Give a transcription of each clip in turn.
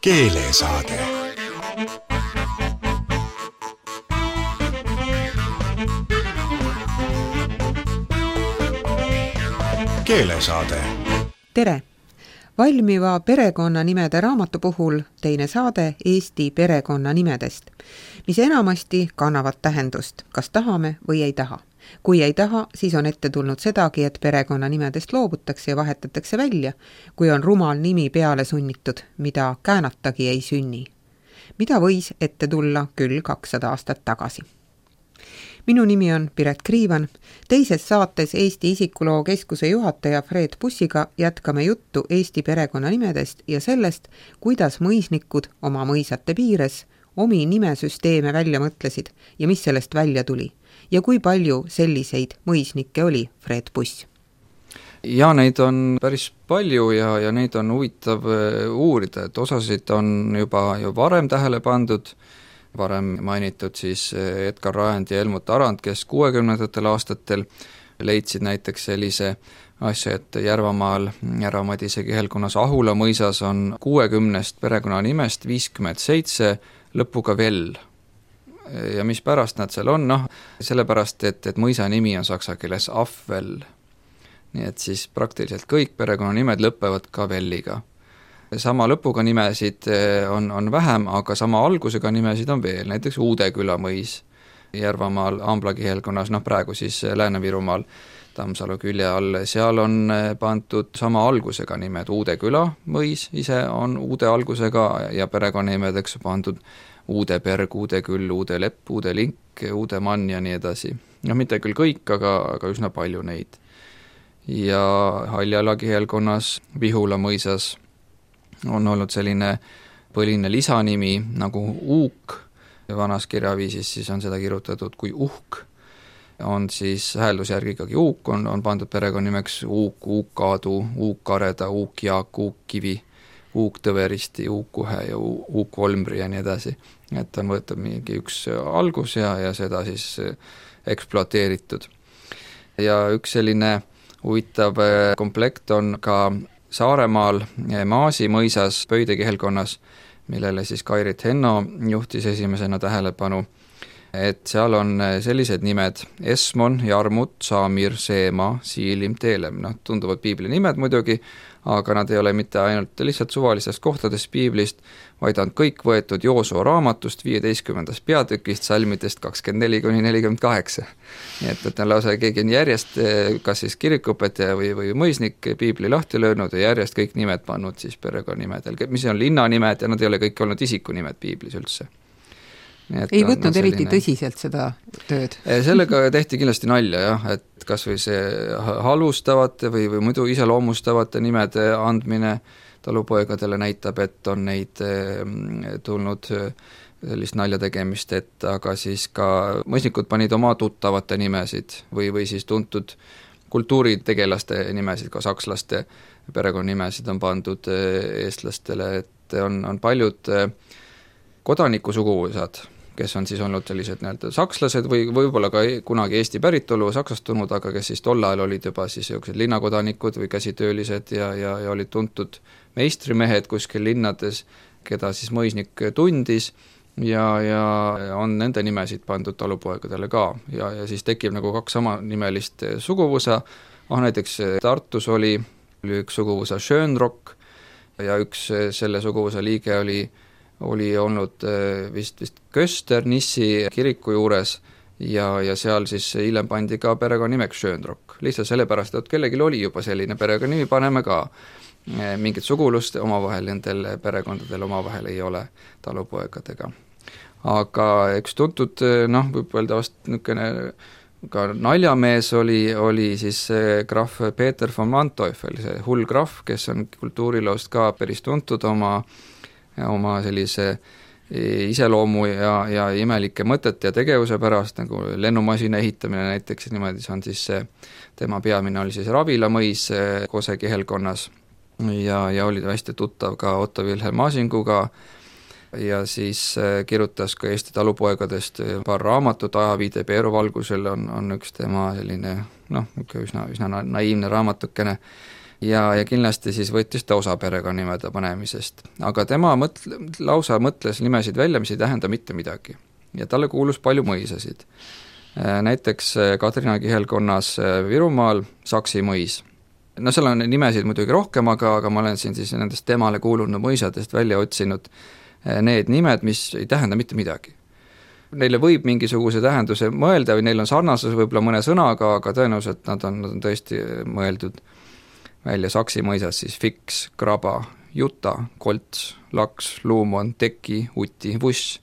Keelesaade. Keelesaade. Tere! Valmiva perekonnanimede raamatu puhul teine saade Eesti perekonnanimedest, mis enamasti kannavad tähendust, kas tahame või ei taha. Kui ei taha, siis on ette tulnud sedagi, et perekonnanimedest loobutakse ja vahetatakse välja, kui on rumal nimi peale sunnitud, mida käänatagi ei sünni. Mida võis ette tulla küll 200 aastat tagasi. Minu nimi on Piret Kriivan. Teises saates Eesti Isikuloo Keskuse juhataja Fred Bussiga jätkame juttu Eesti perekonnanimedest ja sellest, kuidas mõisnikud oma mõisate piires omi nimesüsteeme välja mõtlesid ja mis sellest välja tuli. Ja kui palju selliseid mõisnikke oli, Fred Buss? Ja neid on päris palju ja neid on huvitav uurida, et osasid on juba varem tähele pandud, varem mainitud siis Edgar Raend ja Helmut Arand, kes 60ndatel aastatel leidsid näiteks sellise asja, et Järvamaal Järva-Madise kihelkonnas Ahula mõisas on 60 perekonnanimest 57 lõpuga Vell. Ja mis pärast nad seal on? Sellepärast, et mõisa nimi on saksa keeles Afvel. Nii et siis praktiliselt kõik perekonnanimed lõpevad ka Velliga. Sama lõpuga nimesid on vähem, aga sama algusega nimesid on veel, näiteks Uudeküla mõis Järvamaal Ambla kihelkonnas, praegu siis Lääne-Virumaal Tammsalu külje all, seal on pandud sama algusega nimed, Uudeküla mõis ise on uude algusega ja perekonnanimedeks pandud Uudeberg, Uudeküll, Uudelepp, Uudelink, Uudemann ja nii edasi. Mitte küll kõik, aga üsna palju neid. Ja Haljala kihelkonnas Vihula mõisas on olnud selline põline lisanimi nagu Uuk, vanas kirjaviisis siis on seda kirjutatud kui Uhk, on siis hääldusjärgi ikkagi Uuk, on pandud perekonnimeks Uuk, Uuk-Aadu, Uuk-Kareda, Uuk-Jaak, Uuk-Kivi, Uuk-Tõveristi, Uuk-Uhe ja Uuk-Olmri ja nii edasi. Et on võetud mingi üks algus ja seda siis ekspluateeritud. Ja üks selline huvitav komplekt on ka Saaremaal Maasi mõisas Pöide kihelkonnas, millele siis Kairit Henno juhtis esimesena tähelepanu, et seal on sellised nimed Esmon, Jarmut, Saamir, Seema, Siilim, Teelem. Tunduvad piibli nimed muidugi, aga nad ei ole mitte ainult lihtsalt suvalistest kohtadest piiblist, vaid on kõik võetud Joosua raamatust 15. peatükist salmidest 24-48. Nii et on lausa keegi on järjest, kas siis kirikuõpetaja või mõisnik piibli lahti löönud ja järjest kõik nimed pannud siis perekonnimedel, mis on linnanimed ja nad ei ole kõik olnud isikunimed piiblis üldse. Ei võtnud eriti tõsiselt seda tööd. Sellega tehti kindlasti nalja, jah, et kas või see halustavate või muidu iseloomustavate nimede andmine talupoegadele näitab, et on neid tulnud sellist nalja tegemist, et aga siis ka mõisnikud panid oma tuttavate nimesid või siis tuntud kultuuritegelaste nimesid, ka sakslaste perekonnanimesid on pandud eestlastele, et on paljud kodanikusuguvõsad, kes on siis olnud sellised sakslased või võib-olla ka kunagi Eesti päritolu saksastunud, aga kes siis tol ajal olid juba siis linnakodanikud või käsitöölised ja olid tuntud meistrimehed kuskil linnades, keda siis mõisnik tundis ja on nende nimesid pandud talupoegadele ka ja siis tekib nagu kaks sama nimelist suguvõsa. Näiteks Tartus oli üks suguvõsa Schönrock ja üks selle suguvõsa liige oli olnud vist Köster Nissi kiriku juures ja seal siis hiljem pandi ka perekonnimeks Schönrock. Lihtsalt sellepärast, et kellelgi oli juba selline perekonnimi, paneme ka mingit sugulust omavahel, nendel perekondadel omavahel ei ole talupoegadega. Aga üks tuntud, võib öelda vast niisugune ka naljamees oli siis krahv Peeter von Manteuffel, see hull krahv, kes on kultuuriloost ka päris tuntud oma sellise iseloomu ja imelike mõtete ja tegevuse pärast, nagu lennumasina ehitamine näiteks, niimoodi see on siis tema peamine oli siis Ravila mõis Kose kihelkonnas ja oli hästi tuttav ka Otto Wilhelm Asinguga ja siis kirjutas ka Eesti talupoegadest paar raamatut, Ajaviide Peeru valgusel on üks tema selline üsna naiivne raamatukene ja kindlasti siis võttis ta osa perekonnimede panemisest. Aga tema lausa mõtles nimesid välja, mis ei tähenda mitte midagi. Ja talle kuulus palju mõisasid. Näiteks Kadrina kihelkonnas Virumaal Saksi mõis. No seal on nimesid muidugi rohkem, aga ma olen siin siis nendest temale kuulunud mõisadest välja otsinud need nimed, mis ei tähenda mitte midagi. Neile võib mingisuguse tähenduse mõelda või neil on sarnasus võib-olla mõne sõnaga, aga tõenäoliselt nad on tõesti mõeldud välja Saksi mõisas siis Fiks, Kraba, Juta, Kolts, Laks, Luumon, Teki, Uti, Vuss,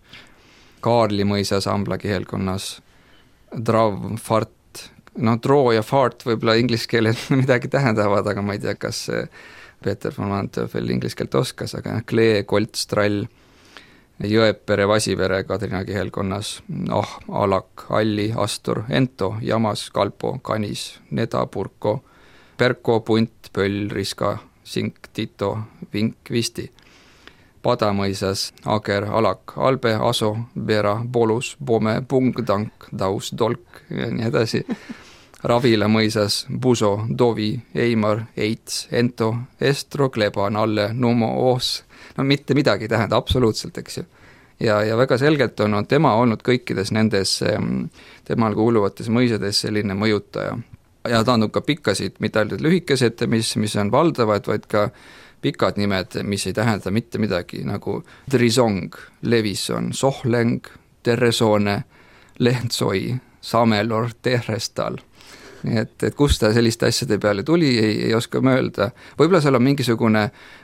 Kaarli mõisas Ambla kihelkonnas Drav, Fart, Troo ja Fart võib-olla inglise keeles midagi tähendavad, aga ma ei tea, kas Peeter von Manteuffel inglise keelt oskas, aga Klee, Kolts, Trall, Jõepere, Vasivere Kadrina kihelkonnas, Alak, Alli, Astur, Ento, Jamas, Kalpo, Kanis, Neda, Purko, Perko, Punt, Pöll, Riska, Sink, Tito, Vink, Visti, Padamõisas, Ager, Alak, Albe, Aso, Vera, Bolus, Pome, Pung, Tank, Daus, Dolk ja nii edasi. Ravila mõisas, Buso, Dovi, Eimar, Eits, Ento, Estro, Kleba, Nalle, Numo, Oos. No mitte midagi tähenda, absoluutselt, eks ju. Ja väga selgelt on tema olnud kõikides nendes temal kuuluvates mõisades selline mõjutaja. Ja ta on ka pikkasid, mitte ainult lühikesed, mis on valdavad, vaid ka pikad nimed, mis ei tähenda mitte midagi, nagu Drisong, Levison, Sohleng, Terresone, Lehtsoi, Samelor, Tehrestal. Nii et kust ta selliste asjade peale tuli, ei oska mõelda. Võib-olla seal on mingisugune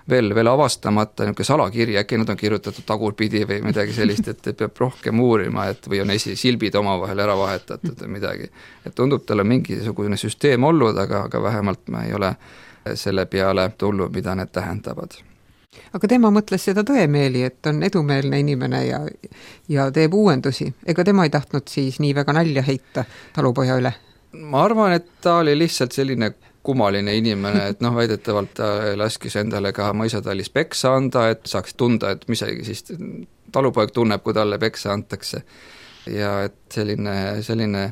veel avastamata niisugune salakiri, äkki nad on kirjutatud tagurpidi või midagi sellist, et peab rohkem uurima, või on silbid omavahel ära vahetatud või midagi. Et tundub, tal on mingisugune süsteem olnud, aga vähemalt ma ei ole selle peale tulnud, mida need tähendavad. Aga tema mõtles seda tõemeeli, et on edumeelne inimene ja teeb uuendusi. Ega tema ei tahtnud siis nii väga nalja heita talupoja üle? Ma arvan, et ta oli lihtsalt selline kummaline inimene, et väidetavalt ta laskis endale ka mõisatallis peksa anda, et saaks tunda, et mis siis talupoeg tunneb, kui talle peksa antakse. Ja et selline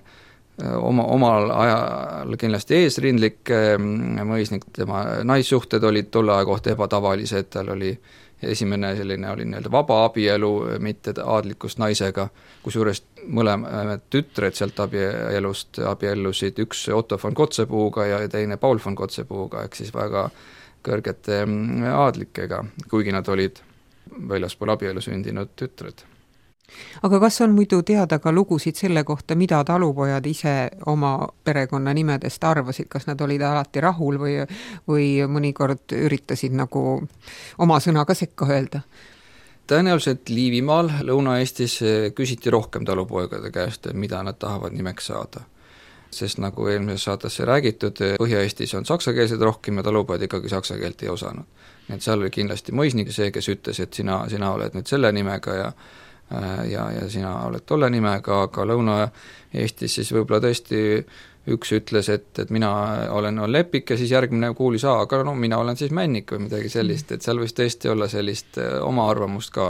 omal ajal kindlasti eesrindlik mõisnik, tema naissuhted olid tolle aja kohta ebatavalised, tal oli esimene selline oli nii-öelda vaba abielu, mitte aadlikust naisega, kusjuures mõlemad tütred sealt abielust abiellusid, üks Otto von Kotzepuuga ja teine Paul von Kotzepuuga, ehk siis väga kõrgete aadlikega, kuigi nad olid väljaspool abielu sündinud tütred. Aga kas on muidu teada ka lugusid selle kohta, mida talupojad ise oma perekonna nimedest arvasid, kas nad olid alati rahul või mõnikord üritasid nagu oma sõna ka sekka öelda? Tõenäoliselt Liivimaal, Lõuna-Eestis küsiti rohkem talupoegade käest, mida nad tahavad nimeks saada. Sest nagu eelmises saatesse räägitud, Põhja-Eestis on saksakeelsed rohkem ja talupojad ikkagi saksa keelt ei osanud. Nii et seal oli kindlasti mõisnik see, kes ütles, et sina oled nüüd selle nimega ja sina oled tolle nimega, aga Lõuna-Eestis siis võib-olla tõesti üks ütles, et mina olen Lepik ja siis järgmine kuulis, aga mina olen siis Männik või midagi sellist, et seal võis tõesti olla sellist oma arvamust ka,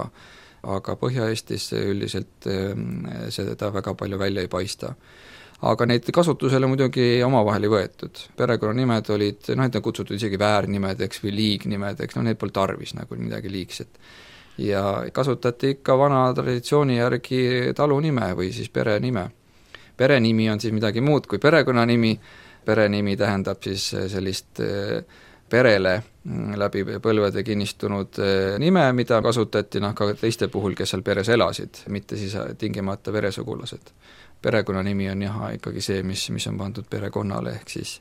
aga Põhja-Eestis üldiselt seda väga palju välja ei paista. Aga neid kasutusele muidugi omavahel ei võetud. Perekonnanimed olid, neid on kutsutud isegi väärnimed, või liignimed, neid pole tarvis nagu midagi liigset. Ja kasutati ikka vana traditsiooni järgi talunime või siis perenime. Perenimi on siis midagi muud kui perekonnanimi. Perenimi tähendab siis sellist perele läbi põlvede kinnistunud nime, mida kasutati ka teiste puhul, kes seal peres elasid, mitte siis tingimata veresugulased. Perekonnanimi on ikkagi see, mis on pandud perekonnale ehk siis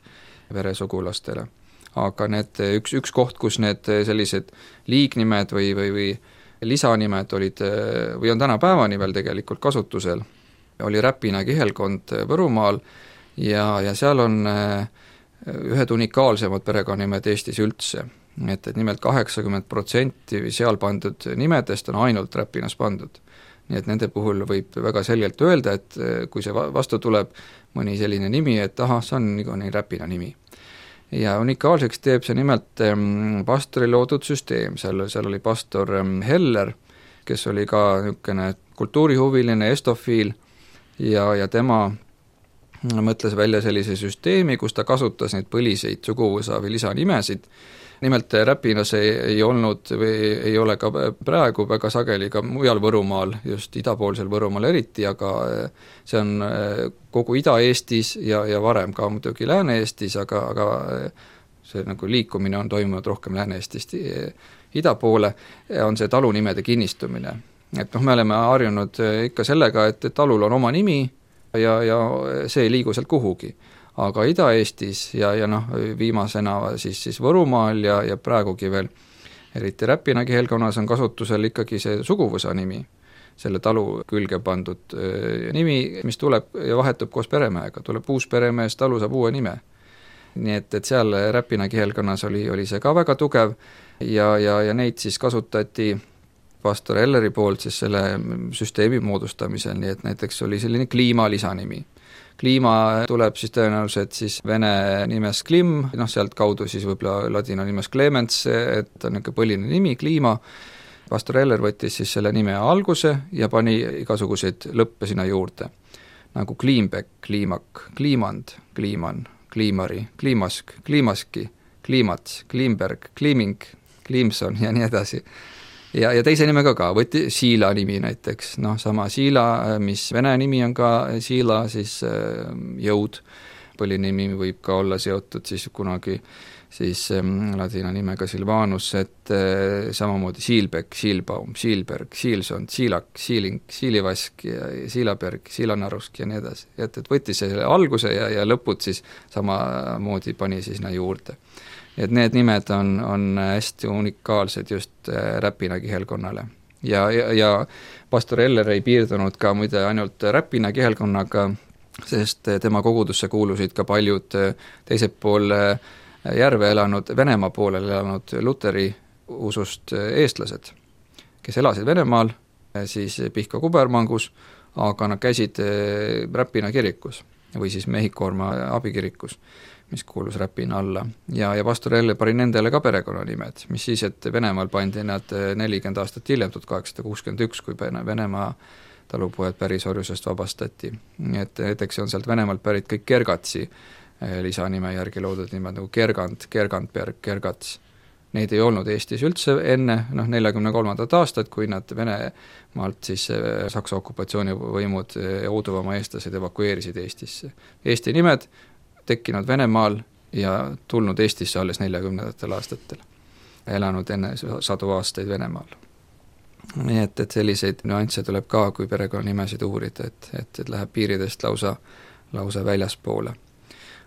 veresugulastele. Aga need üks koht, kus need sellised liignimed või lisanimed olid või on tänapäevani veel tegelikult kasutusel, oli Räpina kihelkond Võrumaal ja seal on ühed unikaalsemad perekonnanimed Eestis üldse. Et nimelt 80% seal pandud nimedest on ainult Räpinas pandud. Nii et nende puhul võib väga selgelt öelda, et kui see vastu tuleb mõni selline nimi, et see on nii Räpina nimi. Ja unikaalseks teeb see nimelt pastori loodud süsteem, seal oli pastor Heller, kes oli ka niisugune kultuurihuviline estofiil ja tema mõtles välja sellise süsteemi, kus ta kasutas neid põliseid suguvõsa või lisanimesid. Nimelt Räpinas ei olnud või ei ole ka praegu väga sageli ka mujal Võrumaal, just idapoolsel Võrumaal eriti, aga see on kogu Ida-Eestis ja varem ka muidugi Lääne-Eestis, aga see nagu liikumine on toimunud rohkem Lääne-Eestist ida poole, on see talunimede kinnistumine. Et me oleme harjunud ikka sellega, et talul on oma nimi ja see ei liigu sealt kuhugi. Aga Ida-Eestis ja viimasena siis Võrumaal ja praegugi veel eriti Räpina kihelkonnas on kasutusel ikkagi see suguvõsa nimi, selle talu külge pandud nimi, mis tuleb ja vahetub koos peremehega, tuleb uus peremees, talu saab uue nime. Nii et seal Räpina kihelkonnas oli see ka väga tugev ja neid siis kasutati pastor Elleri poolt siis selle süsteemi moodustamisel, nii et näiteks oli selline kliima lisanimi. Kliima tuleb siis tõenäoliselt siis vene nimes Klim, sealt kaudu siis võib-olla ladina nimes Clemens, et on niisugune põline nimi, kliima. Pastor Eller võttis siis selle nime alguse ja pani igasuguseid lõppe sinna juurde, nagu Kliimbek, Kliimak, Kliimand, Kliiman, Kliimari, Kliimask, Kliimaski, Kliimats, Kliimberg, Kliiming, Kliimson ja nii edasi. Ja teise nimega ka, võtti Siila nimi näiteks, sama Siila, mis vene nimi on ka Siila, siis jõud, põlinimi võib ka olla seotud siis kunagi siis ladina nimega Silvanus, et samamoodi Siilbek, Siilbaum, Siilberg, Siilson, Siilak, Siiling, Siilivask ja Siilaberg, Siilanarusk ja nii edasi. Et võttis selle alguse ja lõpud siis samamoodi pani siis juurde. Et need nimed on hästi unikaalsed just Räpina kihelkonnale. Ja pastor Eller ei piirdunud ka muide ainult Räpina kihelkonnaga, sest tema kogudusse kuulusid ka paljud teiselt pool järve elanud, Venemaa poolel elanud luteri usust eestlased, kes elasid Venemaal, siis Pihka kubermangus, aga nad käisid Räpina kirikus või siis Mehhikoorma abikirikus, mis kuulus Räpina alla. Ja pastor Elle pani nendele ka perekonnanimed, mis siis, et Venemaal pandi nad 40 aastat hiljem, 1861, kui Venemaa talupojad pärisorjusest vabastati. Nii et näiteks on sealt Venemaalt pärit kõik Kergatsi lisanime järgi loodud nimed, nagu Kergant, Kergantberg, Kergats. Neid ei olnud Eestis üldse enne 43. aastat, kui nad Venemaalt siis Saksa okupatsioonivõimud ja Uuduvamaa eestlased evakueerisid Eestisse. Eesti nimed tekkinud Venemaal ja tulnud Eestisse alles 40. aastatel, elanud enne 100 aastaid Venemaal. Nii et selliseid nüansse tuleb ka, kui perekonnanimesid uurida, et läheb piiridest lausa väljaspoole.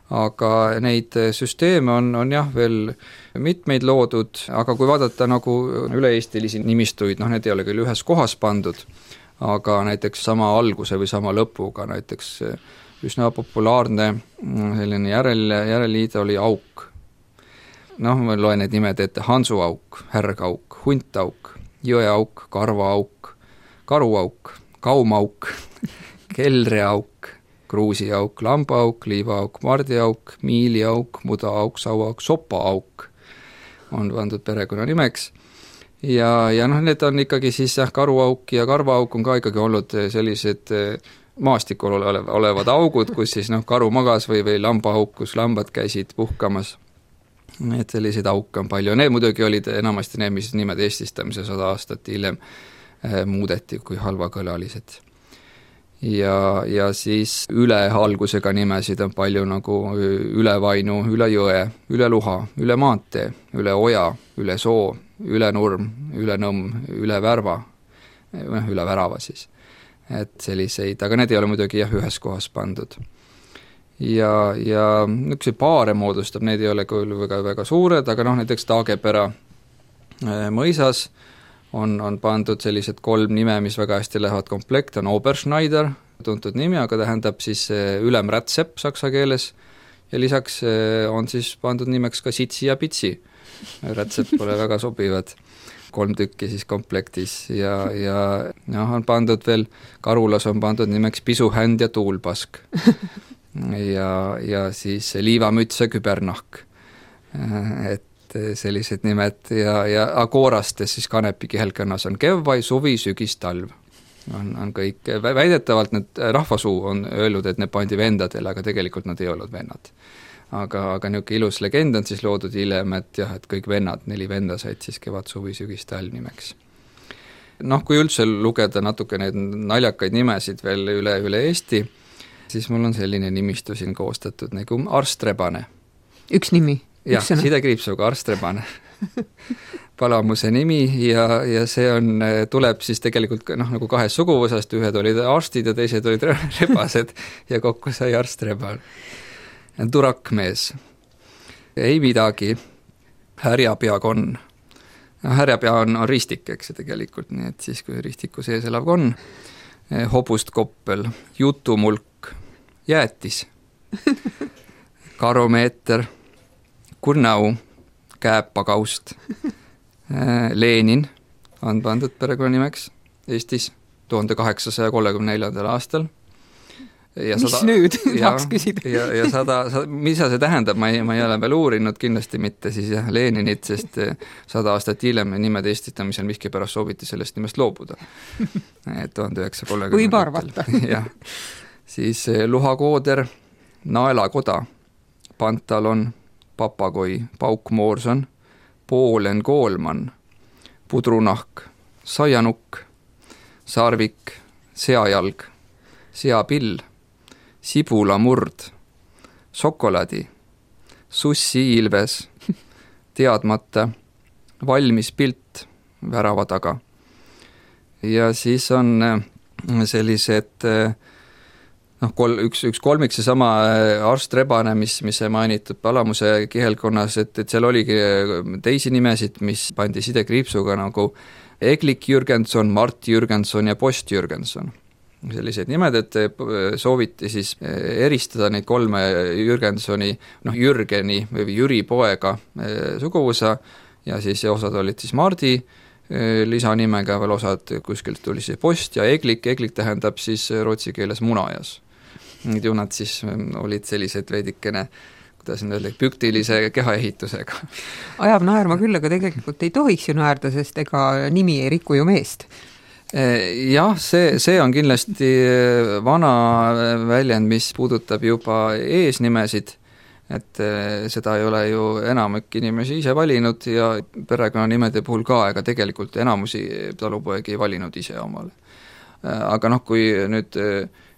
Aga neid süsteeme on jah veel mitmeid loodud, aga kui vaadata nagu üle-eestilisi nimistuid, need ei ole küll ühes kohas pandud, aga näiteks sama alguse või sama lõpuga, näiteks üsna populaarne selline järeliide oli Auk. Ma loen need nimed ette, Hansuauk, Härgauk, Huntauk, Jõeauk, Karvaauk, Karuauk, Kaumauk, Kelreauk, Kruusiauk, Lambaauk, Liivaauk, Mardiauk, Miiliauk, Mudaauk, Sauauk, Sopaauk on pandud perekonnanimeks. Ja need on ikkagi siis Karuauk ja Karvaauk on ka ikkagi olnud sellised maastikul olevad augud, kus siis karu magas või lambaauk, kus lambad käisid puhkamas. Et selliseid auke on palju. Need muidugi olid enamasti need, mis nimed eestistamise 100 aastat hiljem muudeti kui halvakõlalised. Ja siis üle algusega nimesid on palju nagu üle Vainu, üle Jõe, üle Luha, üle Maantee, üle Oja, üle Soo, üle Nurm, üle Nõmm, üle Värva, üle Värava siis. Et selliseid, aga need ei ole muidugi ühes kohas pandud. Ja üks paare moodustab, need ei ole küll väga suured, aga näiteks Taagepera mõisas on pandud sellised 3 nime, mis väga hästi lähevad komplekt, on Oberschneider, tuntud nimi, aga tähendab siis ülemrätsepp saksa keeles, ja lisaks on siis pandud nimeks ka Sitsi ja Pitsi. Rätsepp pole väga sobivad, 3 tükki siis komplektis ja on pandud veel, Karulas on pandud nimeks Pisuhänd ja Tuulpask ja siis Liivamüts ja Kübernahk, et sellised nimed ja Koorastes siis Kanepi kihelkonnas on Kevvai, suvi, sügis, talv. on kõik, väidetavalt need rahvasuu on öelnud, et need pandi vendadele, aga tegelikult nad ei olnud vennad. Aga niisugune ilus legend on siis loodud hiljem, et jah, et kõik vennad, 4 venda said siis kevad, suvi, sügis, talv nimeks. Kui üldse lugeda natuke neid naljakaid nimesid veel üle Eesti, siis mul on selline nimistu siin koostatud nagu Arstrebane. Üks nimi? Jah, sidekriipsuga Arstrebane. Palamuse nimi ja see tuleb siis tegelikult nagu 2 suguvõsast, ühed olid arstid ja teised olid rebased ja kokku sai Arstreban. Turakmees. Ei midagi. Härjapea konn. Härjapea on ristik, eks see tegelikult, nii et siis kui ristiku sees elav konn. Hobust koppel. Jutumulk. Jäätis. Karomeeter. Kurnau. Kääpakaust. Lenin on pandud perekonnanimeks Eestis 1834. aastal. Ja mis nüüd? Tahaks küsida. Ja 100, mida see tähendab, ma ei ole veel uurinud, kindlasti mitte siis jah, Leninit, sest 100 aastat hiljem nimed eestitamisel miskipärast sooviti sellest nimest loobuda. 1930. Võib arvata. Jah. Siis luhakooder, naelakoda, pantalon, papagoi, paukmoorson, poolen koolman, pudrunahk, saianukk, sarvik, seajalg, seapill, sibulamurd, sokolaadi, sussiilves, teadmata, valmis pilt värava taga. Ja siis on sellised üks kolmik seesama Arstrebane, mis mainitud Palamuse kihelkonnas, et seal oligi teisi nimesid, mis pandi sidekriipsuga nagu Eglik Jürgenson, Mart Jürgenson ja Post Jürgenson. Sellised nimed, et sooviti siis eristada neid 3 Jürgensoni, Jürgeni või Jüri poega suguvõsa ja siis osad olid siis Mardi lisanimega, veel osad kuskilt tuli see Post ja Eglik tähendab siis rootsi keeles munajas. Ju nad siis olid sellised veidikene, kuidas nüüd öelda, püktilise kehaehitusega. Ajab naerma küll, aga tegelikult ei tohiks ju naerda, sest ega nimi ei riku ju meest. Jah, see on kindlasti vana väljend, mis puudutab juba eesnimesid, et seda ei ole ju enamik inimesi ise valinud ja perekonnanimede puhul ka, ega tegelikult enamusi talupoegi ei valinud ise omale. Aga kui nüüd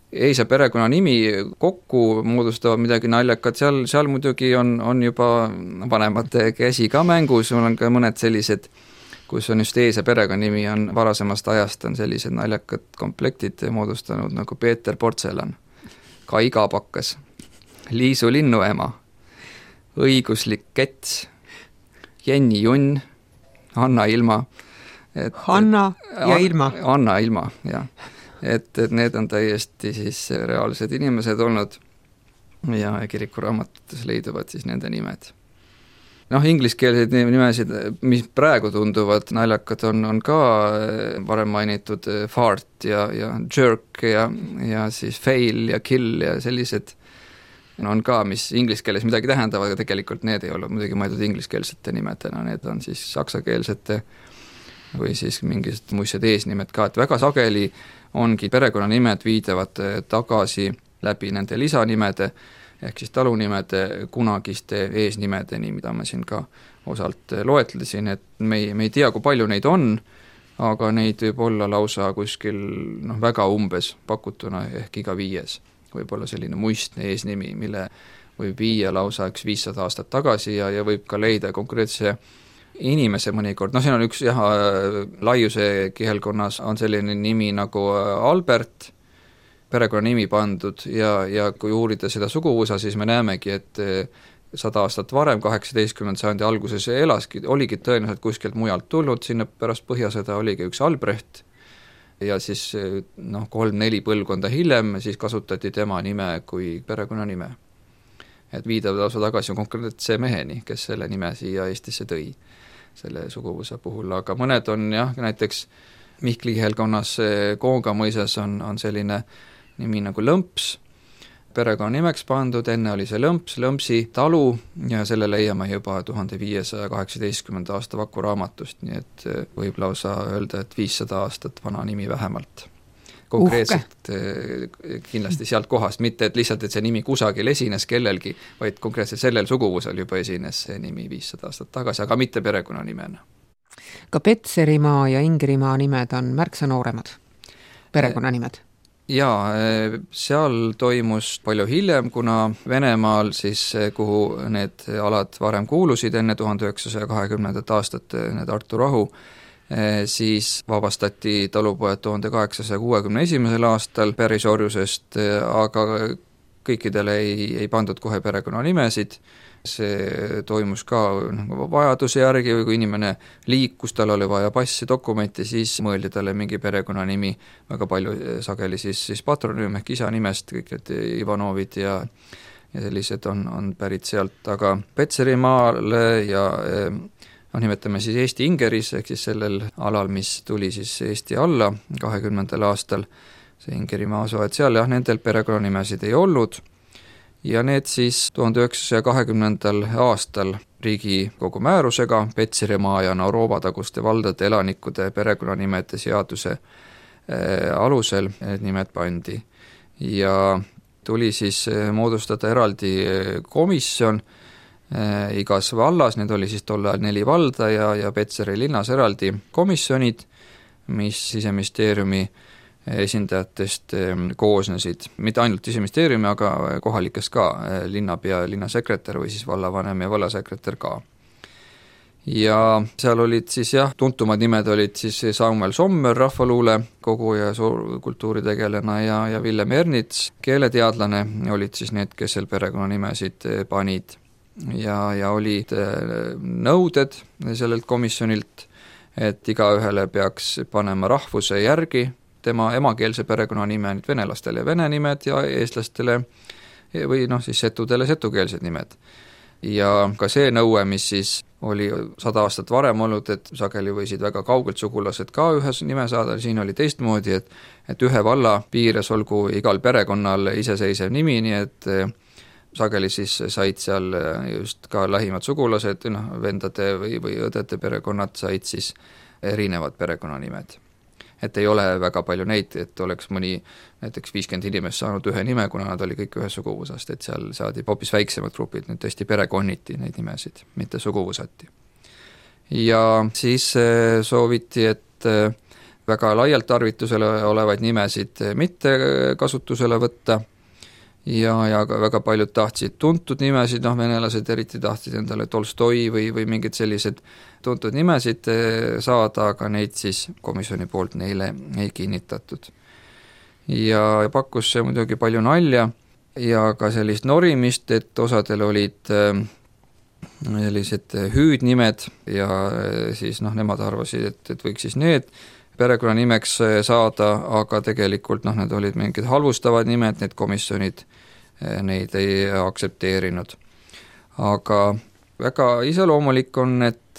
eisa perekonnanimi kokku moodustavad midagi naljakat, seal muidugi on juba vanemate käsi ka mängus, on ka mõned sellised, kus on just ees ja perekonnanimi on varasemast ajast on sellised naljakad komplektid moodustanud nagu Peeter Portselan, Kaiga Pakkas, Liisu linnuema, õiguslik Kets, Jenni Junn, Anna Ilma. Hanna ja Ilma. Anna Ilma, jah. Et need on täiesti siis reaalsed inimesed olnud ja kirikuraamatutes leiduvad siis nende nimed. Ingliskeelseid nimesid, mis praegu tunduvad naljakad, on ka varem mainitud fart ja jerk ja siis fail ja kill ja sellised on ka, mis ingliskeeles midagi tähendavad, aga tegelikult need ei ole muidugi mõeldud ingliskeelsete nimedena, need on siis saksakeelsete või siis mingid muised eesnimed ka, et väga sageli ongi perekonnanimed viidavad tagasi läbi nende lisanimede ehk siis talunimede kunagiste eesnimedeni, mida ma siin ka osalt loetlesin, et me ei tea, kui palju neid on, aga neid võib olla lausa kuskil väga umbes pakutuna ehk iga 5. Võib-olla selline muistne eesnimi, mille võib viia lausa 500 aastat tagasi ja võib ka leida konkreetse inimese mõnikord, siin on üks laiuse kihelkonnas on selline nimi nagu Albert, perekonnanimi pandud ja kui uurida seda suguvõsa, siis me näemegi, et 100 aastat varem, 18. sajandi alguses oligi tõenäoliselt kuskilt mujalt tulnud, sinna pärast põhjasõda oligi üks Albrecht ja siis 3-4 põlvkonda hiljem siis kasutati tema nime kui perekonnanime. Et viidavad lausa tagasi konkreetse meheni, kes selle nime siia Eestisse tõi selle suguvõsa puhul, aga mõned on näiteks Mihkli kihelkonnas Koonga mõisas on selline nimi nagu Lõmps, perekonnanimeks pandud, enne oli see Lõmpsi talu ja selle leiame juba 1518. aasta Vaku raamatust, nii et võib lausa öelda, et 500 aastat vana nimi vähemalt. konkreetselt kindlasti sealt kohast, mitte et lihtsalt, et see nimi kusagil esines kellelgi, vaid konkreetselt sellel suguvusel juba esines see nimi 500 aastat tagasi, aga mitte perekonnanimena. Ka Petserimaa ja Ingerimaa nimed on märksa nooremad perekonnanimed. Jaa, seal toimus palju hiljem, kuna Venemaal siis, kuhu need alad varem kuulusid enne 1920. aastat, need Tartu rahu, siis vabastati talupojad 1861. aastal pärisorjusest, aga kõikidele ei pandud kohe perekonnanimesid. See toimus ka vajaduse järgi või kui inimene liikus, tal oli vaja passi, dokumenti, siis mõeldi talle mingi perekonnanimi, väga palju sageli siis patronüüm ehk isa nimest, kõik need Ivanovid ja sellised on pärit sealt, aga Petserimaal ja nimetame siis Eesti Ingeris, ehk siis sellel alal, mis tuli siis Eesti alla 20. aastal, see Ingerimaa osa, et seal nendel perekonnanimesid ei olnud. Ja need siis 1920. aastal Riigikogu määrusega Petserimaa ja Naurooba-taguste valdade elanikude perekonnanimede seaduse alusel need nimed pandi. Ja tuli siis moodustada eraldi komisjon igas vallas, need oli siis tol ajal 4 valda ja Petseri linnas eraldi komisjonid, mis Siseministeeriumi esindajatest koosnesid, mitte ainult Siseministeeriumi, aga kohalikest ka, linnapea, linnasekretär või siis vallavanem ja vallasekretär ka. Ja seal olid siis tuntumad nimed olid siis Samuel Sommer, rahvaluule kogu ja kultuuritegelane ja Villem Ernits, keeleteadlane, olid siis need, kes seal perekonnanimesid panid. Ja olid nõuded sellelt komisjonilt, et igaühele peaks panema rahvuse järgi tema emakeelse perekonnanime, nüüd venelastele vene nimed ja eestlastele või siis setudele setukeelsed nimed. Ja ka see nõue, mis siis oli 100 aastat varem olnud, et sageli võisid väga kaugelt sugulased ka ühe nime saada, siin oli teistmoodi, et ühe valla piires olgu igal perekonnal iseseisev nimi, nii et sageli siis said seal just ka lähimad sugulased, vendade või õdede perekonnad said siis erinevad perekonnanimed. Et ei ole väga palju neid, et oleks mõni näiteks 50 inimest saanud ühe nime, kuna nad oli kõik ühe suguvusast, et seal saadi hoopis väiksemad grupid, nüüd tõesti perekonniti neid nimesid, mitte suguvusati. Ja siis sooviti, et väga laialt tarvitusele olevaid nimesid mitte kasutusele võtta ja väga paljud tahtsid tuntud nimesid, venelased eriti tahtsid endale Tolstoi või mingid sellised tuntud nimesid saada, aga neid siis komisjoni poolt neile ei kinnitatud. Ja pakkus see muidugi palju nalja ja ka sellist norimist, et osadel olid sellised hüüdnimed ja siis nemad arvasid, et võiks siis need perekonnanimeks saada, aga tegelikult need olid mingid halvustavad nimed, need komisjonid neid ei aktsepteerinud. Aga väga iseloomulik on, et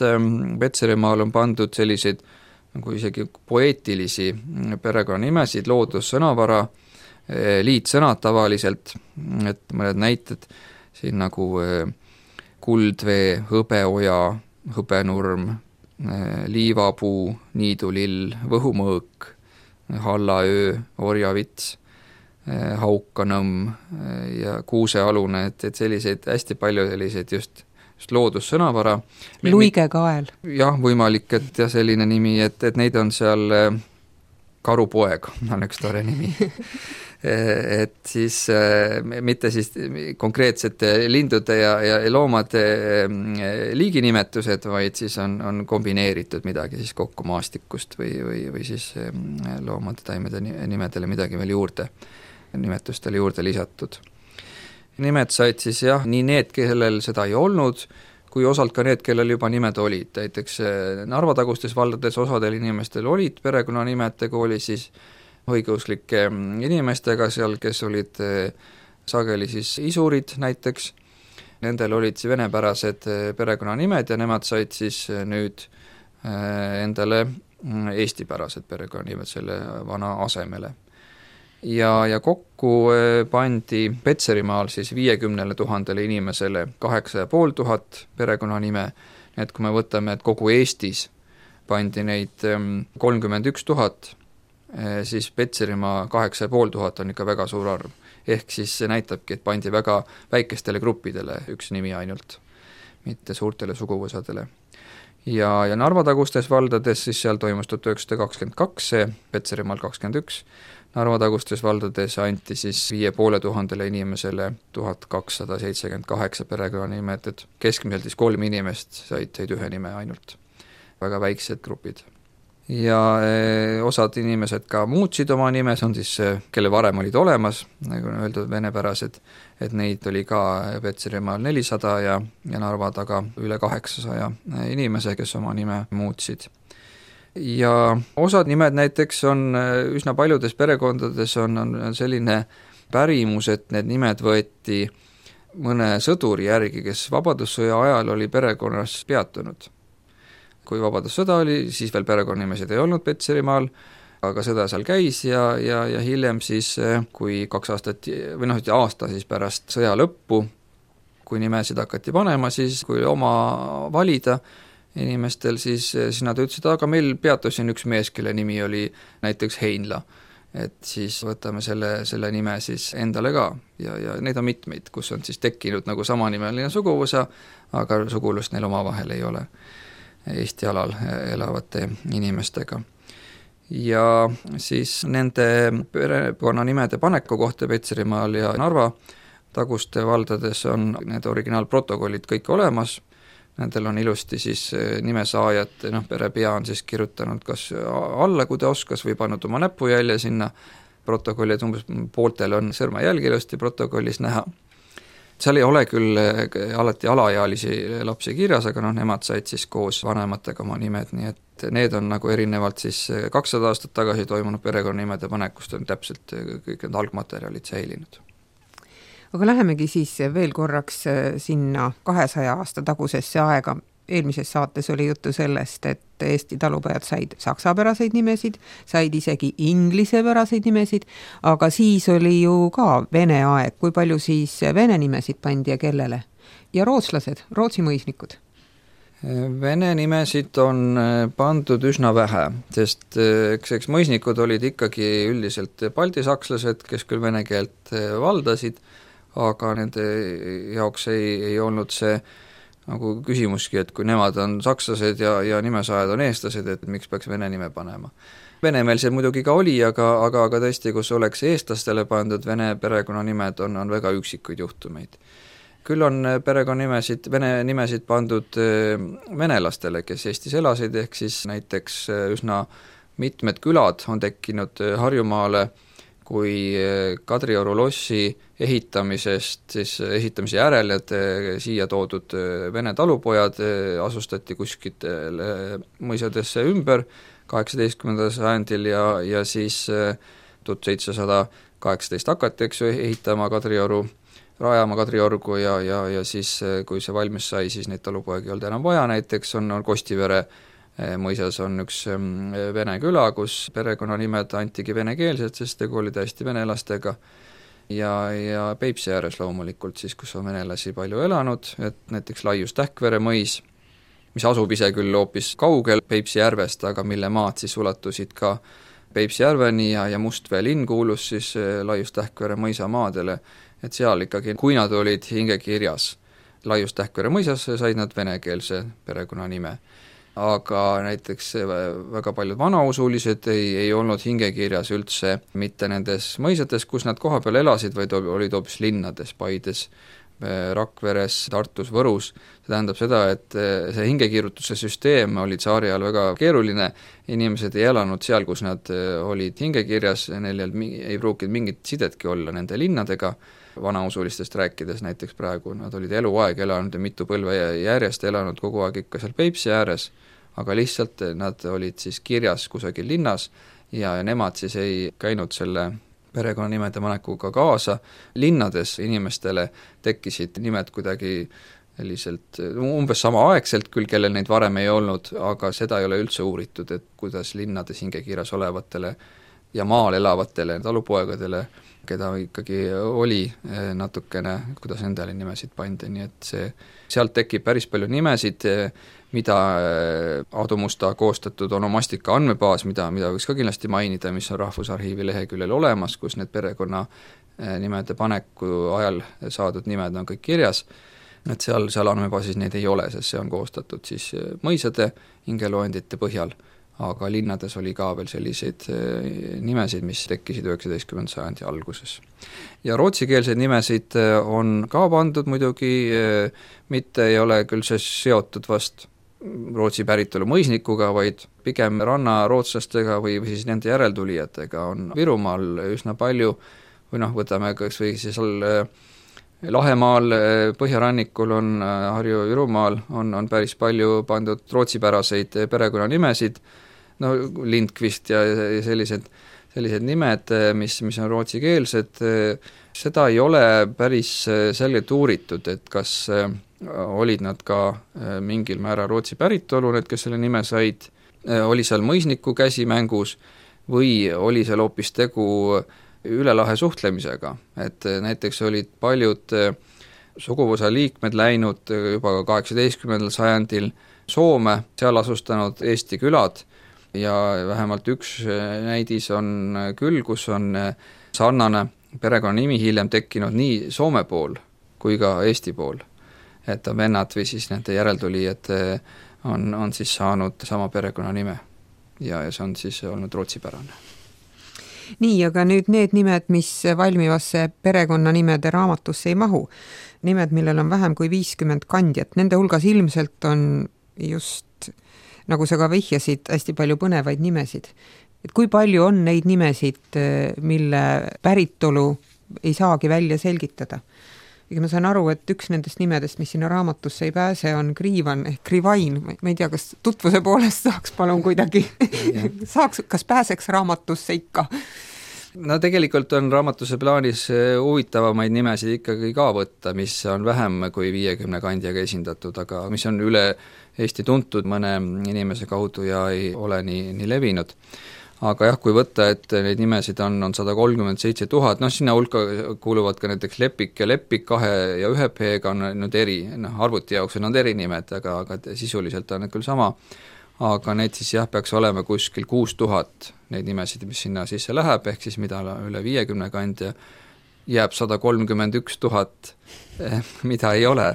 Petserimaal on pandud selliseid nagu isegi poeetilisi perekonnanimesid, loodussõnavara, liitsõnad tavaliselt, et mõned näited siin nagu kuldvee, hõbeoja, hõbenurm, liivapuu, niidulill, võhumõõk, hallaöö, orjavits, haukanõmm ja kuusealune, et selliseid hästi palju selliseid just loodussõnavara. Luigekael. Jah, võimalik, et selline nimi, et neid on seal Karupoeg, on üks tore nimi. Et siis mitte siis konkreetsete lindude ja loomade liiginimetused, vaid siis on kombineeritud midagi siis kokku maastikust või siis loomade taimede nimedele midagi veel juurde, nimetustele juurde lisatud. Nimed said siis nii need, kellel seda ei olnud, kui osalt ka need, kellel juba nimed olid. Näiteks Narva-tagustes valdades osadel inimestel olid perekonnanimed, tegu oli siis õigeuslike inimestega seal, kes olid sageli siis isurid näiteks. Nendel olid venepärased perekonnanimed ja nemad said siis nüüd endale eestipärased perekonnanimed selle vana asemele. Ja kokku pandi Petserimaal siis 50 000 inimesele 8500 perekonnanime, et kui me võtame, et kogu Eestis pandi neid 31 000 siis Petserimaa 8500 on ikka väga suur arv. Ehk siis see näitabki, et pandi väga väikestele gruppidele üks nimi ainult, mitte suurtele suguvõsadele. Ja Narva-tagustes valdades siis seal toimus 1922 see, Petserimaal 21, Narva-tagustes valdades anti siis 5500 inimesele 1278 perekonnanimed, et keskmiselt siis 3 inimest said ühe nime ainult. Väga väiksed grupid. Ja osad inimesed ka muutsid oma nime, see on siis, kelle varem olid olemas, nagu on öeldud, venepärased, et neid oli ka Petserimaal 400 ja Narva taga üle 800 inimese, kes oma nime muutsid. Ja osad nimed näiteks on üsna paljudes perekondades on selline pärimus, et need nimed võeti mõne sõduri järgi, kes Vabadussõja ajal oli perekonnas peatunud. Kui Vabadussõda oli, siis veel perekonnanimesid ei olnud Petserimaal, aga sõda seal käis ja hiljem siis, kui 2 aastat või aasta siis pärast sõja lõppu, kui nimesid hakati panema, siis kui oma valida inimestel, siis nad ütlesid, aga meil peatus siin üks mees, kelle nimi oli näiteks Heinla. Et siis võtame selle nime siis endale ka ja neid on mitmeid, kus on siis tekkinud nagu samanimeline suguvõsa, aga sugulust neil omavahel ei ole Eesti alal elavate inimestega. Ja siis nende perekonnanimede paneku kohta Petserimaal ja Narva taguste valdades on need originaalprotokollid kõik olemas. Nendel on ilusti siis nimesaajad, perepea on siis kirjutanud kas alla, kui ta oskas, või pannud oma näpujälje sinna protokolli, et umbes pooltel on sõrmejälg ilusti protokollis näha. Seal ei ole küll alati alaealisi lapsi kirjas, aga nemad said siis koos vanematega oma nimed, nii et need on nagu erinevalt siis 200 aastat tagasi toimunud perekonnanimede panekust on täpselt kõik need algmaterjalid säilinud. Aga lähemegi siis veel korraks sinna 200 aasta tagusesse aega. Eelmises saates oli juttu sellest, et Eesti talupojad said saksapäraseid nimesid, said isegi inglisepäraseid nimesid, aga siis oli ju ka vene aeg. Kui palju siis vene nimesid pandi ja kellele? Ja rootslased, Rootsi mõisnikud? Vene nimesid on pandud üsna vähe, sest eks mõisnikud olid ikkagi üldiselt baltisakslased, kes küll vene keelt valdasid, aga nende jaoks ei olnud see nagu küsimuski, et kui nemad on sakslased ja nimesaajad on eestlased, et miks peaks vene nime panema. Venemaal see muidugi ka oli, aga tõesti, kus oleks eestlastele pandud vene perekonnanimed, on väga üksikuid juhtumeid. Küll on perekonnanimesid, vene nimesid pandud venelastele, kes Eestis elasid, ehk siis näiteks üsna mitmed külad on tekkinud Harjumaale, kui Kadrioru lossi ehitamise järel, et siia toodud vene talupojad asustati kuskitele mõisadesse ümber 18. sajandil ja siis 1718 hakati, ehitama Kadrioru, rajama Kadriorgu ja siis, kui see valmis sai, siis neid talupoegi ei olnud enam vaja, näiteks on Kostivere mõisas on üks vene küla, kus perekonnanimed antigi venekeelsed, sest tegu oli täiesti venelastega ja Peipsi ääres loomulikult siis, kus on venelasi palju elanud, et näiteks Laius Tähkvere mõis, mis asub ise küll hoopis kaugel Peipsi järvest, aga mille maad siis ulatusid ka Peipsi järveni ja Mustvee linn kuulus siis Laius Tähkvere mõisa maadele, et seal ikkagi, kui nad olid hingekirjas Laius Tähkvere mõisas, said nad venekeelse perekonnanime. Aga näiteks väga paljud vanausulised ei olnud hingekirjas üldse mitte nendes mõisates, kus nad kohapeal elasid, vaid olid hoopis linnades, Paides, Rakveres, Tartus, Võrus. See tähendab seda, et see hingekirjutuse süsteem oli tsaari ajal väga keeruline, inimesed ei elanud seal, kus nad olid hingekirjas, neil ei pruukinud mingit sidetki olla nende linnadega, vanausulistest rääkides näiteks praegu, nad olid eluaeg elanud ja mitu põlve järjest elanud kogu aeg ikka seal Peipsi ääres, aga lihtsalt nad olid siis kirjas kusagil linnas ja nemad siis ei käinud selle perekonnanimede panekuga kaasa. Linnades inimestele tekkisid nimed kuidagi selliselt umbes samaaegselt küll, kellel neid varem ei olnud, aga seda ei ole üldse uuritud, et kuidas linnades hingekirjas olevatele ja maal elavatele talupoegadele keda ikkagi oli natukene, kuidas nendele nimesid pandi, nii et sealt tekib päris palju nimesid, mida Aadu Musta koostatud onomastika andmebaas, mida võiks ka kindlasti mainida, mis on Rahvusarhiivi leheküljel olemas, kus need perekonna nimede paneku ajal saadud nimed on kõik kirjas, et seal andmebaasis neid ei ole, sest see on koostatud siis mõisade hingeloendite põhjal, aga linnades oli ka veel selliseid nimesid, mis tekkisid 19. sajandi alguses. Ja rootsikeelseid nimesid on ka pandud muidugi, mitte ei ole küll see seotud vast Rootsi päritolu mõisnikuga, vaid pigem rannarootslastega või siis nende järeltulijatega on Virumaal üsna palju, või võtame kas või siis Lahemaal, põhjarannikul on Harju-Virumaal on päris palju pandud rootsipäraseid perekonnanimesid, Lindqvist ja sellised nimed, mis on rootsikeelsed, seda ei ole päris selgelt uuritud, et kas olid nad ka mingil määral Rootsi päritolu, need, kes selle nime said, oli seal mõisniku käsi mängus või oli seal hoopis tegu üle lahe suhtlemisega, et näiteks olid paljud suguvõsa liikmed läinud juba 18. sajandil Soome, seal asustanud Eesti külad ja vähemalt üks näidis on küll, kus on sarnane perekonnanimi hiljem tekkinud nii Soome pool kui ka Eesti pool. Et vennad või siis nende järeltulijad on siis saanud sama perekonnanime ja see on siis olnud rootsipärane. Nii, aga nüüd need nimed, mis valmivasse perekonnanimede raamatusse ei mahu, nimed, millel on vähem kui 50 kandjat, nende hulgas ilmselt on just, nagu sa ka vihjasid, hästi palju põnevaid nimesid. Et kui palju on neid nimesid, mille päritolu ei saagi välja selgitada? Ja ma saan aru, et üks nendest nimedest, mis sinna raamatusse ei pääse, on Kriivan ehk Krivain. Ma ei tea, kas tutvuse poolest saaks palun kuidagi, kas pääseks raamatusse ikka? No tegelikult on raamatuse plaanis huvitavamaid nimesid ikkagi ka võtta, mis on vähem kui 50 kandjaga esindatud, aga mis on üle Eesti tuntud mõne inimese kaudu ja ei ole nii levinud. Aga jah, kui võtta, et neid nimesid on 137 000, sinna hulka kuuluvad ka näiteks Lepik ja Lepik 2 ja 1 P-ga on nüüd arvuti jaoks on eri nimed, aga sisuliselt on need küll sama, aga neid siis peaks olema kuskil 6000 neid nimesid, mis sinna sisse läheb, ehk siis mida üle 50 kandja jääb 131 000, mida ei ole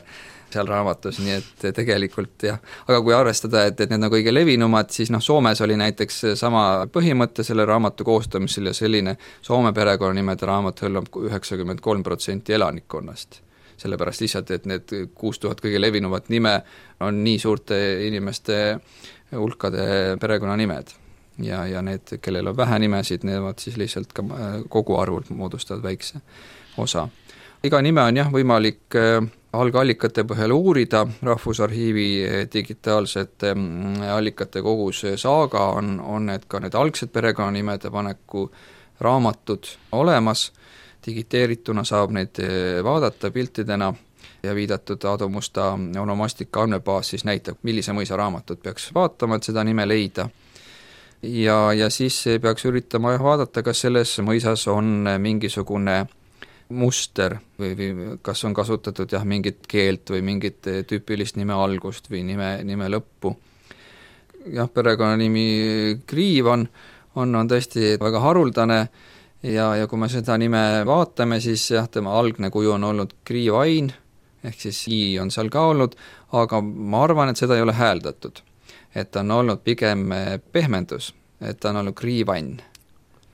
seal raamatus, nii et tegelikult jah, aga kui arvestada, et need on kõige levinumad, siis Soomes oli näiteks sama põhimõte selle raamatu koostamisel ja selline Soome perekonnanimede raamat hõlmab 93% elanikkonnast. Sellepärast lihtsalt, et need 6000 kõige levinumat nime on nii suurte inimeste hulkade perekonnanimed ja need, kellel on vähe nimesid, need siis lihtsalt ka kogu arvult moodustavad väikse osa. Iga nime on võimalik algallikate põhjal uurida, Rahvusarhiivi digitaalsete allikate kogus Saaga on need ka need algsed perekonnanimede paneku raamatud olemas, digiteerituna saab neid vaadata piltidena ja viidatud Aadu Musta onomastika andmebaas siis näitab, millise mõisa raamatut peaks vaatama, et seda nime leida. Ja siis peaks üritama vaadata, kas selles mõisas on mingisugune muster või kas on kasutatud mingit keelt või mingit tüüpilist nime algust või nime lõppu. Perekonnanimi Kriivan on tõesti väga haruldane ja kui me seda nime vaatame, siis tema algne kuju on olnud Kriivain, ehk siis I on seal ka olnud, aga ma arvan, et seda ei ole hääldatud. Et on olnud pigem pehmendus, et ta on olnud Kriivann.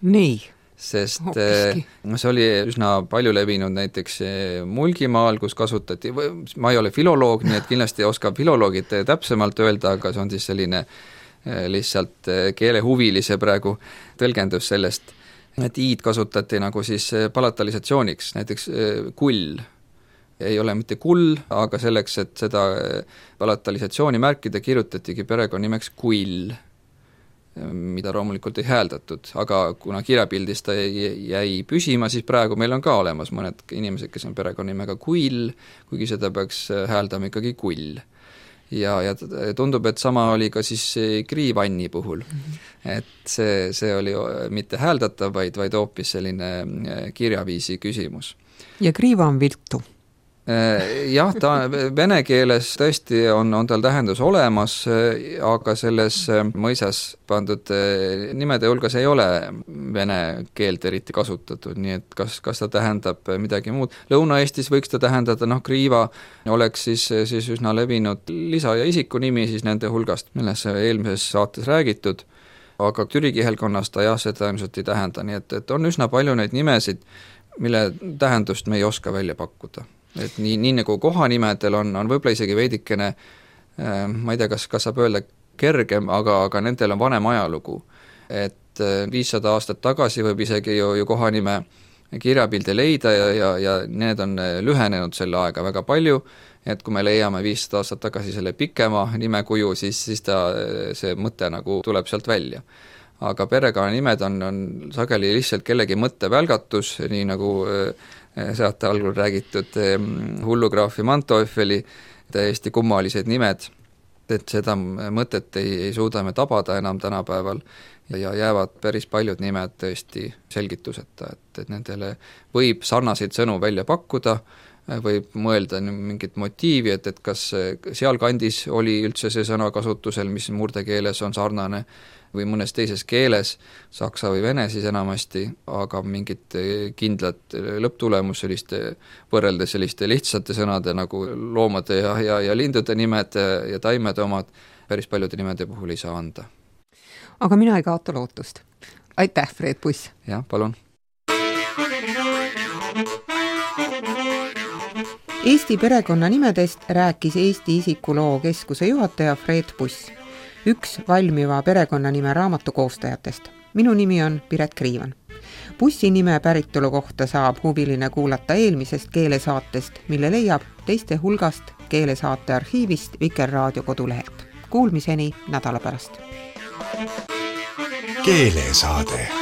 Nii. Sest see oli üsna palju levinud näiteks Mulgimaal, kus kasutati, ma ei ole filoloog, nii et kindlasti oskab filoloogid täpsemalt öelda, aga see on siis selline lihtsalt keelehuvilise praegu tõlgendus sellest, et i-d kasutati nagu siis palatalisatsiooniks, näiteks kull ei ole mitte kull, aga selleks, et seda palatalisatsiooni märkida, kirjutatigi perekonnimeks kull, mida loomulikult ei hääldatud, aga kuna kirjapildis ta jäi püsima, siis praegu meil on ka olemas mõned inimesed, kes on perekonnimega Kull, kuigi seda peaks hääldama ikkagi Kull. Ja tundub, et sama oli ka siis Kriivanni puhul. et see oli mitte hääldatav, vaid hoopis selline kirjaviisi küsimus. Ja kriiva on viltu. Jah, ta vene keeles tõesti on tal tähendus olemas, aga selles mõisas pandud nimede hulgas ei ole vene keelt eriti kasutatud, nii et kas ta tähendab midagi muud. Lõuna-Eestis võiks ta tähendada, kriiva oleks siis üsna levinud lisa- ja isikunimi siis nende hulgast, milles eelmises saates räägitud, aga türi kihelkonnas ta jah, seda ilmselt ei tähenda, nii et on üsna palju neid nimesid, mille tähendust me ei oska välja pakkuda. Et nii nagu kohanimedel on võib-olla isegi veidikene, ma ei tea, kas saab öelda kergem, aga nendel on vanem ajalugu. Et 500 aastat tagasi võib isegi ju kohanime kirjapildi leida ja need on lühenenud selle aega väga palju, et kui me leiame 500 aastat tagasi selle pikema nimekuju, siis see mõte nagu tuleb sealt välja. Aga perekonnanimed on sageli lihtsalt kellegi mõttevälgatus, nii nagu saate algul räägitud hullugraafi Manteufeli täiesti kummalised nimed, et seda mõtet ei suuda me tabada enam tänapäeval ja jäävad päris paljud nimed tõesti selgituseta, et nendele võib sarnaseid sõnu välja pakkuda, võib mõelda mingit motiivi, et kas sealkandis oli üldse see sõna kasutusel, mis murdekeeles on sarnane, või mõnes teises keeles, saksa või vene siis enamasti, aga mingit kindlat lõpptulemus võrreldes selliste lihtsate sõnade nagu loomade ja lindude nimed ja taimede omad päris paljude nimede puhul ei saa anda. Aga mina ei kaota lootust. Aitäh, Fred Puss! Jah, palun! Eesti perekonnanimedest rääkis Eesti isikuloo keskuse juhataja Fred Puss, üks valmiva perekonnanime raamatu koostajatest. Minu nimi on Piret Kriivan. Bussi nime päritolu kohta saab huviline kuulata eelmisest keelesaatest, mille leiab teiste hulgast keelesaate arhiivist Vikerraadio kodulehelt. Kuulmiseni nädala pärast. Keelesaade.